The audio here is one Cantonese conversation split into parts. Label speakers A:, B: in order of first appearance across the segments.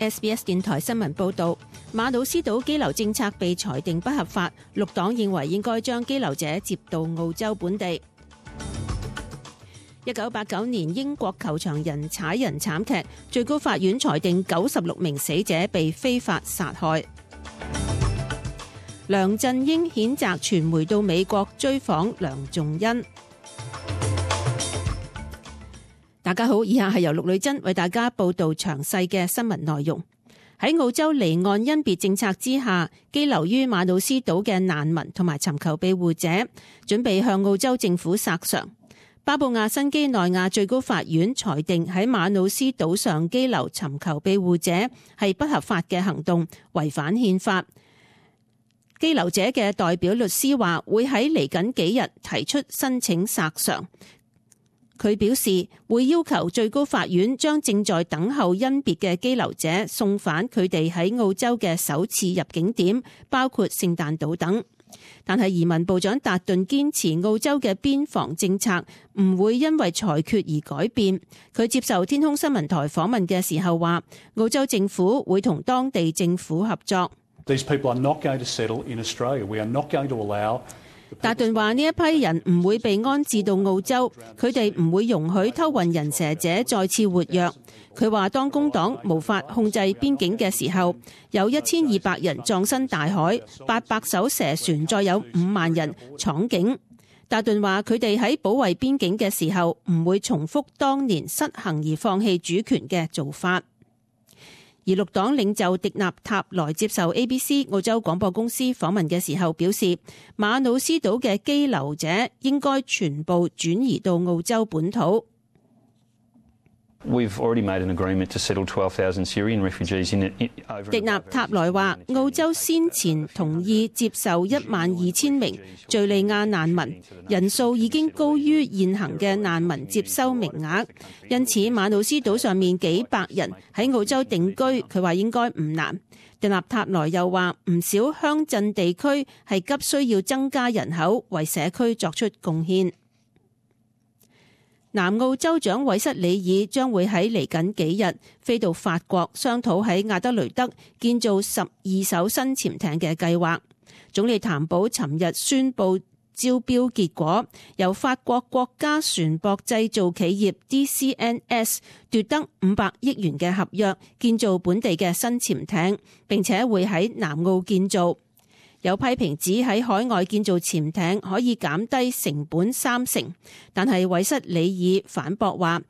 A: SBS 電台新聞報導，馬魯斯島羈留政策被裁定不合法，綠黨認為應該將羈留者接到澳洲本地。1989年英國球場人踩人慘劇，最高法院裁定96名死者被非法殺害。梁振英譴責傳媒到美國追訪梁仲恩。大家好，以下係由陸女珍為大家報道詳細嘅新聞內容。喺澳洲離岸甄別政策之下，羈留於馬魯斯島嘅難民同埋尋求庇護者準備向澳洲政府索償。巴布亞新畿內亞最高法院裁定喺馬魯斯島上羈留尋求庇護者係不合法嘅行動，違反憲法。羈留者嘅代表律師話會喺嚟緊幾日提出申請索償。佢表示會要求最高法院將正在等候甄別嘅羈留者送返佢哋喺澳洲嘅首次入境點，包括聖誕島等。但係移民部長達頓堅持澳洲嘅邊防政策唔會因為裁決而改變。佢接受天空新聞台訪問嘅時候話，澳洲政府會同當地政府合作。
B: These people are not going to settle in Australia. We are not going to allow。
A: 達頓話呢一批人唔會被安置到澳洲，佢哋唔會容許偷運人蛇者再次活躍。佢話當工黨無法控制邊境嘅時候，有1200人葬身大海，800艘蛇船再有5萬人闖境。達頓話佢哋喺保衛邊境嘅時候唔會重複當年失衡而放棄主權嘅做法。而綠黨領袖迪納塔萊接受 ABC 澳洲廣播公司訪問嘅時候表示，馬魯斯島嘅羈留者應該全部轉移到澳洲本土。
C: We've already made an agreement to settle 12,000 Syrian refugees in over。
A: 迪納塔萊話，澳洲先前同意接受12000名敘利亞難民，人數已經高於現行嘅難民接收名額，因此馬魯斯島上面幾百人喺澳洲定居，佢話應該唔難。迪納塔萊又話，唔少鄉鎮地區係急需要增加人口，為社區作出貢獻。南澳州長韋瑟里爾將會喺嚟緊幾日飛到法國商討喺亞德雷德建造12艘新潛艇嘅計劃。總理譚寶尋日宣布招標結果，由法國國家船舶製造企業 DCNS 奪得500億元嘅合約，建造本地嘅新潛艇，並且會喺南澳建造。有批評指喺海外建造潛艇可以減低成本30%，但係韋瑟里爾反駁話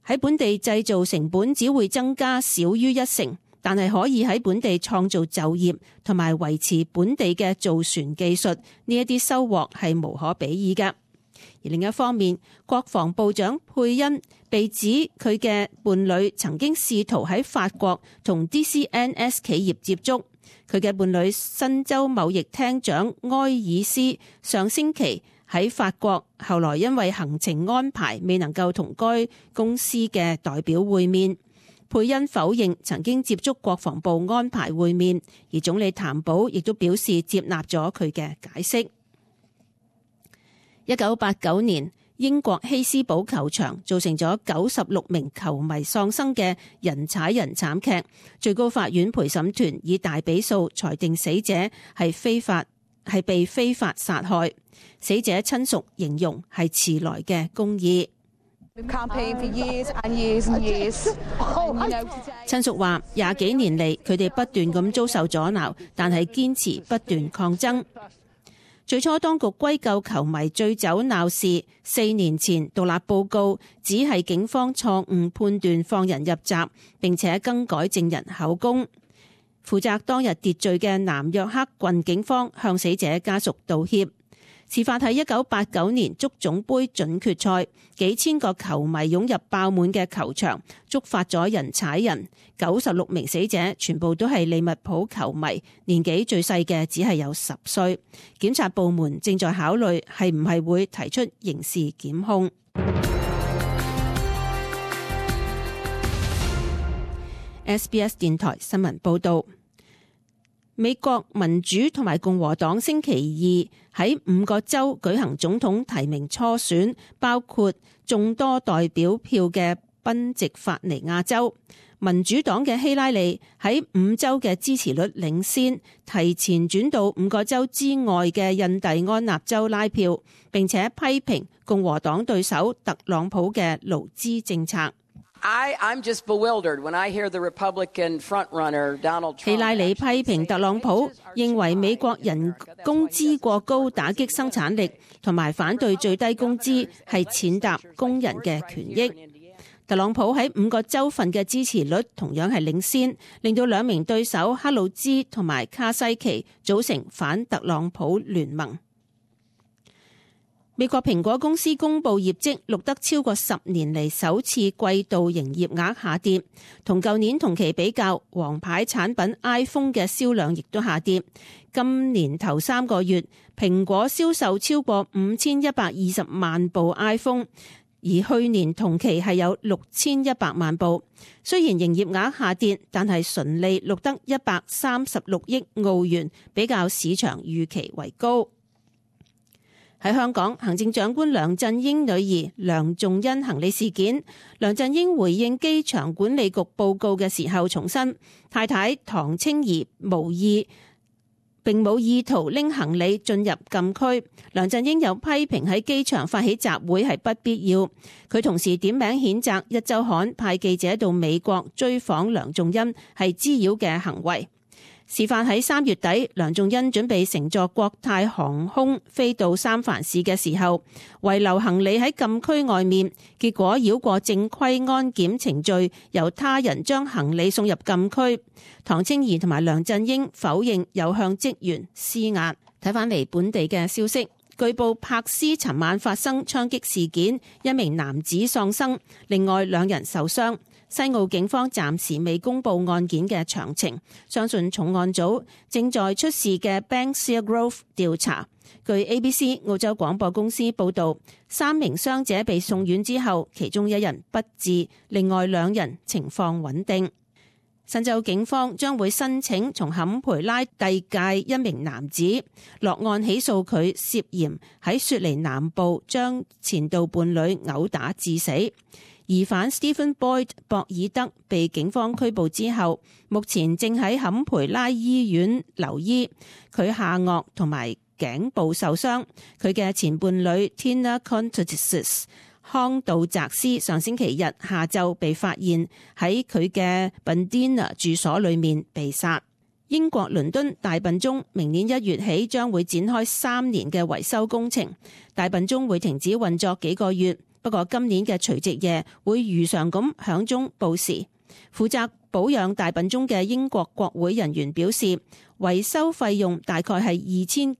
A: 喺本地製造成本只會增加少於1%，但係可以喺本地創造就業同埋維持本地嘅造船技術，呢一啲收穫係無可比擬嘅。而另一方面，國防部長佩恩被指佢嘅伴侶曾經試圖喺法國同 DCNS 企業接觸。佢嘅伴侶新州貿易廳長埃爾斯上星期喺法國，後來因為行程安排未能夠同該公司嘅代表會面。佩恩否認曾經接觸國防部安排會面，而總理譚寶亦都表示接納咗佢嘅解釋。1989年，英國希斯堡球場造成咗96名球迷喪生嘅人踩人慘劇，最高法院陪審團以大比數裁定死者係被非法殺害。死者親屬形容係遲來嘅公義。親屬話20幾年嚟，佢哋不斷咁遭受阻撓，但係堅持不斷抗爭。最初當局歸咎球迷醉酒鬧事，4年前獨立報告只係警方錯誤判斷放人入閘，並且更改證人口供。負責當日秩序嘅南約克郡警方向死者家屬道歉。事發喺1989年足總杯準決賽，幾千個球迷湧入爆滿嘅球場，觸發咗人踩人。96名死者全部都係利物浦球迷，年紀最細嘅只係有10歲。檢察部門正在考慮係唔係會提出刑事檢控。SBS 電台新聞報道。美國民主同埋共和黨星期二喺5個州舉行總統提名初選，包括眾多代表票嘅賓夕法尼亞州。民主黨嘅希拉里喺5州嘅支持率領先，提前轉到5個州之外嘅印第安納州拉票，並且批評共和黨對手特朗普嘅勞資政策。
D: I'm just bewildered when I hear the Republican frontrunner Donald Trump。
A: 希拉里批評特朗普，認為美國人工資過高打擊生產力，同埋反對最低工資係踐踏工人嘅權益。特朗普喺5個州份嘅支持率同樣係領先，令到兩名對手克魯茲同埋卡西奇組成反特朗普聯盟。美國蘋果公司公布業績，錄得超過10年嚟首次季度營業額下跌，同舊年同期比較，王牌產品 iPhone 嘅銷量亦都下跌。今年頭3個月，蘋果銷售超過5120萬部 iPhone。而去年同期係有6100萬部，雖然營業額下跌，但係純利錄得136億澳元，比較市場預期為高。喺香港，行政長官梁振英女兒梁仲恩行李事件，梁振英回應機場管理局報告嘅時候重申，太太唐青儀並冇意圖拎行李進入禁區。梁振英有批評喺機場發起集會係不必要。佢同時點名譴責壹週刊派記者到美國追訪梁仲恩係滋擾嘅行為。事發喺3月底，梁仲恩準備乘坐國泰航空飛到三藩市嘅時候，遺留行李喺禁區外面，結果繞過正規安檢程序，由他人將行李送入禁區。唐青儀同埋梁振英否認有向職員施壓。睇返嚟本地嘅消息，據報柏斯尋晚發生槍擊事件，一名男子喪生，另外2人受傷。西澳警方暫時未公布案件嘅詳情，相信重案組正在出事嘅 Banksia Grove 調查。據 ABC 澳洲廣播公司報導，3名傷者被送院之後，其中1人不治，另外2人情況穩定。新州警方將會申請從坎培拉遞解一名男子，落案起訴佢涉嫌喺雪梨南部將前度伴侶毆打致死。疑犯 Stephen Boyd 博爾德被警方拘捕之後，目前正喺坎培拉醫院留醫。佢下顎同埋頸部受傷。佢嘅前伴侶 Tina Contreras 康道澤斯上星期日下晝被發現喺佢嘅 Bundeena 住所裏面被殺。英國倫敦大笨鐘明年1月起將會展開3年嘅維修工程，大笨鐘會停止運作幾個月。不過今年嘅除夕夜會如常咁響鐘報時。負責保養大笨鐘嘅英國國會人員表示，維修費用大概係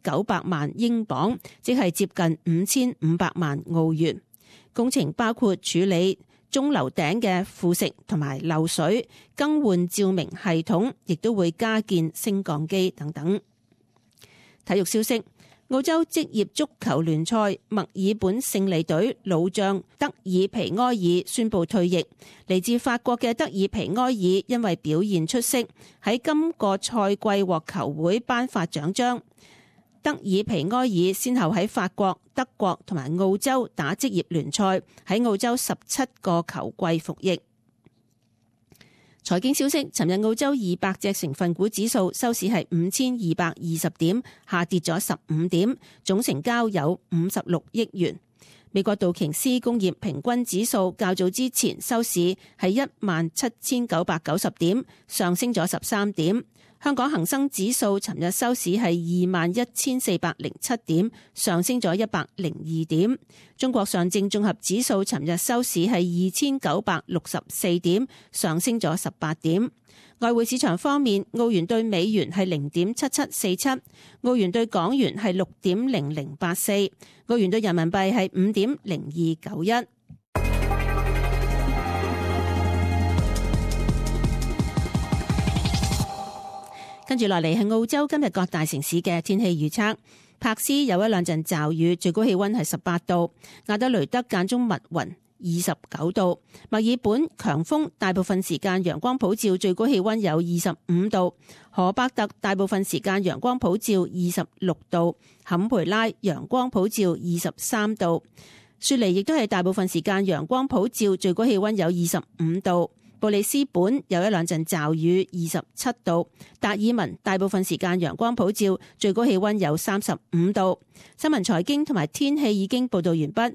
A: 2900萬英鎊，即係接近5500萬澳元。工程包括處理鐘樓頂嘅腐蝕同埋漏水，更換照明系統，亦都會加建升降機等等。體育消息。澳洲職業足球聯賽墨爾本勝利隊老將德爾皮埃爾宣布退役。嚟自法國嘅德爾皮埃爾因為表現出色，喺今個賽季獲球會頒發獎章。德爾皮埃爾先後喺法國、德國同埋澳洲打職業聯賽，喺澳洲17個球季服役。財經消息，尋日澳洲200隻成分股指數收市係5220點，下跌咗15點，總成交有56億元。美國道瓊斯工業平均指數較早之前收市係17990點，上升咗13點。香港恒生指數尋日收市係21407點，上升咗102點。中國上證綜合指數尋日收市係2964點，上升咗18點。外匯市場方面，澳元對美元係0.7747，澳元對港元係6.0084，澳元對人民幣係5.0291。跟住落嚟係澳洲今日各大城市嘅天氣預測。柏斯有1-2陣驟雨，最高氣溫係18度；亞德雷德間中密雲，29度；墨爾本強風，大部分時間陽光普照，最高氣溫有25度；荷伯特大部分時間陽光普照，26度；坎培拉陽光普照，23度；雪梨亦都係大部分時間陽光普照，最高氣溫有25度。布里斯本有一兩陣驟雨，27度。達爾文大部分時間陽光普照，最高氣溫有35度。新聞財經同埋天氣已經報道完畢。